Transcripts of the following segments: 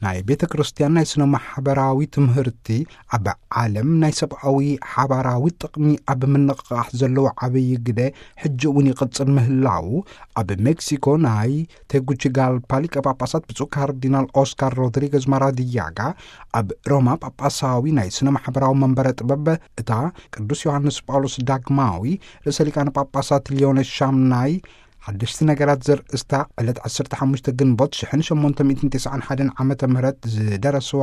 ናይ ቤተ ክርስቲያን ናይ ስነ ማሕበራዊ ትምህርቲ ኣብ ዓለም ናይ ሰብኣዊ ሓባራዊ ጥቕሚ ኣብ ምንቕቓሕ ዘለዎ ዓብዪ ግደ ሕጂ እውን ይቕጽል ምህላዉ ኣብ ሜክሲኮ ናይ ቴጉቺጋልፓ ሊቀ ጳጳሳት ብፁዕ ካርዲናል ኦስካር ሮድሪገዝ ማራዲያጋ ኣብ ሮማ ጳጳሳዊ ናይ ስነ ማሕበራዊ መንበረ ጥበብ እታ ቅዱስ ዮሃንስ ጳውሎስ ዳግማዊ ርእሰ ሊቃነ ጳጳሳት ሊዮን ሻምናይ ሓደሽቲ ነገራት ዘርእስታ ዕለት ዓሰርተ ሓሙሽተ ግንቦት ሽሕን ሸሞንተ ሚእትን ተስዓን ሓደን ዓመተ ምህረት ዝደረስዋ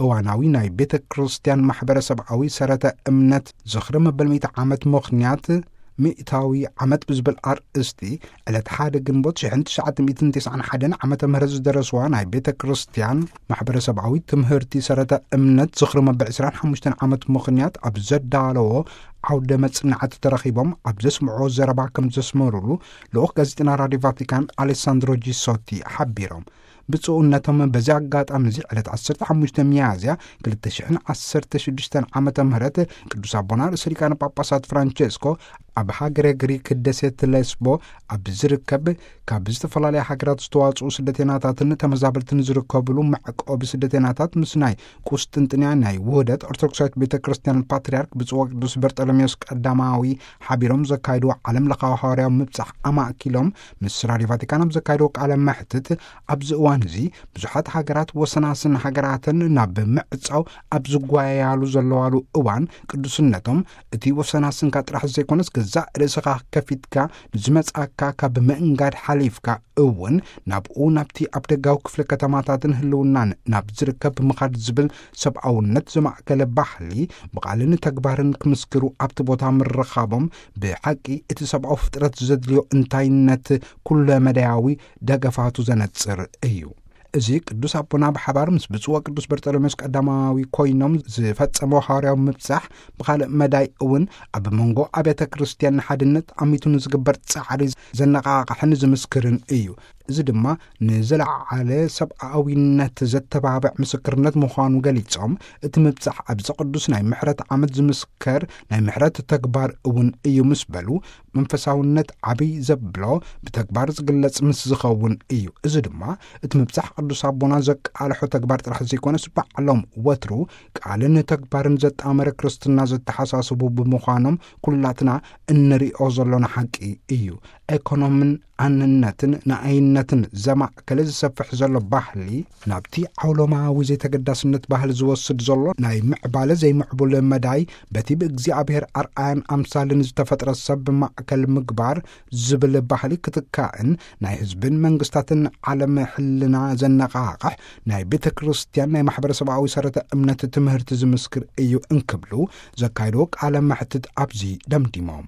እዋናዊ ናይ ቤተ ክርስቲያን ማሕበረሰብኣዊ ሰረተ እምነት ዝኽሪ መበል ሚእቲ ዓመት ምኽንያት ሚእታዊ ዓመት ብዝብል ኣርእስቲ ዕለት ሓደ ግንቦት ሽሕን ትሽዓተ ሚእትን ተስዓን ሓደን ዓመተ ምህረት ዝደረስዋ ናይ ቤተ ክርስቲያን ማሕበረሰብኣዊ ትምህርቲ ሰረተ እምነት ዝኽሪ መበል ዕስራን ሓሙሽተን ዓመት ምኽንያት ኣብ ዘዳለዎ ዓውደ መጽናዕቲ ተረኺቦም ኣብ ዘስምዕዎ ዘረባ ከም ዘስመሩሉ ልኡኽ ጋዜጠና ራድዮ ቫቲካን ኣሌሳንድሮ ጂሶቲ ሓቢሮም። ብፁዕነቶም በዚ ኣጋጣሚ እዚ ዕለት ዓሰርተ ሓሙሽተ ሚያዝያ ክልተ ሽሕን ዓሰርተ ሽዱሽተን ዓመተ ምህረት ቅዱስ ኣቦና ርእሰ ሊቃነ ጳጳሳት ፍራንቸስኮ ኣብ ሃገረ ግሪክ ደሴት ሌስቦ ኣብ ዝርከብ ካብ ዝተፈላለያ ሃገራት ዝተዋጽኡ ስደተናታትን ተመዛበልትን ዝርከብሉ መዕቆቢ ስደተናታት ምስ ናይ ቁስጥንጥንያ ናይ ውህደት ኦርቶዶክሳዊት ቤተ ክርስቲያን ፓትርያርክ ብፁዕ ወቅዱስ በርጠሎሜዎስ ቀዳማዊ ሓቢሮም ዘካይድዎ ዓለም ለኻዊ ሃዋርያዊ ምብጻሕ ኣማእኪሎም ምስ ራድዮ ቫቲካን ኣብ ዘካይድዎ ቃለ መሕትት፣ ኣብዚ እዋን እዚ ብዙሓት ሃገራት ወሰናስን ሃገራተን ናብ ምዕጻው ኣብ ዝጓየያሉ ዘለዋሉ እዋን ቅዱስነቶም እቲ ወሰናስንካ ጥራሕ ዘይኮነስ ገዛእ ርእስኻ ከፊትካ ንዝመጻካ ካብ ምእንጋድ ሓሊፍካ እውን ናብኡ ናብቲ ኣብ ደጋዊ ክፍለ ከተማታትን ህልውናን ናብ ዝርከብ ምኻድ ዝብል ሰብኣውነት ዘማእከለ ባህሊ ብቓልን ተግባርን ክምስክሩ ኣብቲ ቦታ ምርኻቦም ብሓቂ እቲ ሰብኣዊ ፍጥረት ዘድልዮ እንታይነት ኩለ መዳያዊ ደገፋቱ ዘነጽር እዩ። እዚ ቅዱስ ኣቦና ብሓባር ምስ ብፁዕ ወቅዱስ በርጠሎሜዎስ ቀዳማዊ ኮይኖም ዝፈጸሞ ሃዋርያዊ ምብጻሕ ብኻልእ መዳይ እውን ኣብ መንጎ ኣብያተ ክርስቲያን ንሓድነት ኣሚቱ ንዝግበር ጻዕሪ ዘነቓቕሕን ዝምስክርን እዩ። እዚ ድማ ንዝለዓለ ሰብኣዊነት ዘተባብዕ ምስክርነት ምዃኑ ገሊጾም፣ እቲ ምብጻሕ ኣብዚ ቅዱስ ናይ ምሕረት ዓመት ዝምስከር ናይ ምሕረት ተግባር እውን እዩ ምስ በሉ፣ መንፈሳውነት ዓብይ ዘብሎ ብተግባር ዝግለጽ ምስ ዝኸውን እዩ። እዚ ድማ እቲ ምብጻሕ ቅዱስ ኣቦና ዘቃልሖ ተግባር ጥራሕ ዘይኮነስ ባዕሎም ወትሩ ቃልን ተግባርን ዘጣመረ ክርስትና ዘተሓሳስቡ ብምዃኖም ኩላትና እንሪኦ ዘሎና ሓቂ እዩ። ኤኮኖምን ኣንነትን ንኣይነትን ዘማእከለ ዝሰፍሕ ዘሎ ባህሊ ናብቲ ዓውሎማዊ ዘይተገዳስነት ባህሊ ዝወስድ ዘሎ ናይ ምዕባለ ዘይምዕቡል መዳይ በቲ ብእግዚኣብሔር ኣርኣያን ኣምሳልን ዝተፈጥረ ሰብ ማእከል ምግባር ዝብል ባህሊ ክትካእን ናይ ህዝብን መንግስታትን ዓለም ሕልና ዘነቓቕሕ ናይ ቤተ ክርስቲያን ናይ ማሕበረሰባዊ ሰረተ እምነት ትምህርቲ ዝምስክር እዩ እንክብሉ ዘካይድዎ ቃለ መሕትት ኣብዚ ደምዲሞም።